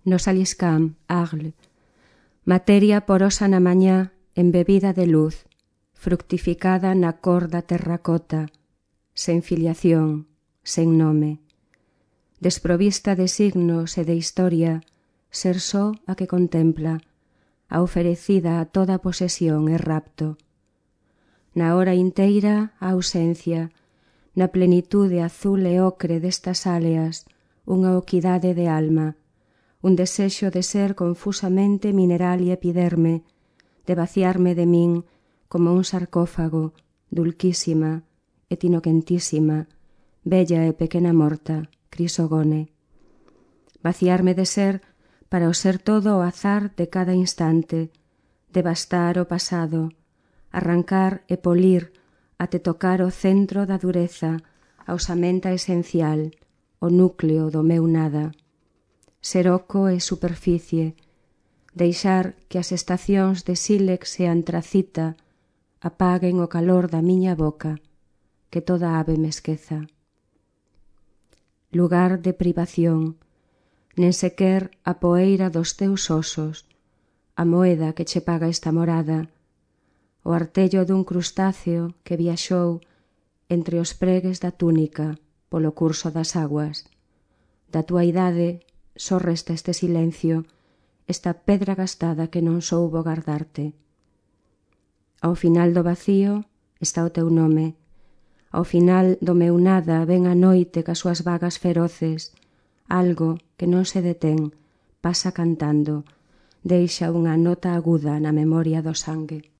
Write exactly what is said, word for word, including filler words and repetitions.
no Saliscam, Arles, materia porosa na mañá, embebida de luz, fructificada na cor da terracota, sen filiación, sen nome, desprovista de signos e de historia, ser só a que contempla, a oferecida a toda posesión e rapto. Na hora inteira, a ausencia, na plenitude azul e ocre destas áleas, unha oquidade de alma, un desexo de ser confusamente mineral e epiderme, de vaciarme de min como un sarcófago, dulquísima, etinoquentísima, bella e pequena morta, crisogone. Vaciarme de ser para o ser todo o azar de cada instante, devastar o pasado, arrancar e polir até tocar o centro da dureza, a osamenta esencial, o núcleo do meu nada. Ser oco e superficie, deixar que as estacións de sílex e antracita apaguen o calor da miña boca, que toda ave me esqueza. Lugar de privación, nen sequer a poeira dos teus osos, a moeda que che paga esta morada, o artello dun crustáceo que viaxou entre os pregues da túnica polo curso das aguas. Da túa idade só resta este silencio, esta pedra gastada que non soubo gardarte. Ao final do vacío está o teu nome, ao final do meu nada ven a noite cas súas vagas feroces, algo que non se detén, pasa cantando, deixa unha nota aguda na memoria do sangue.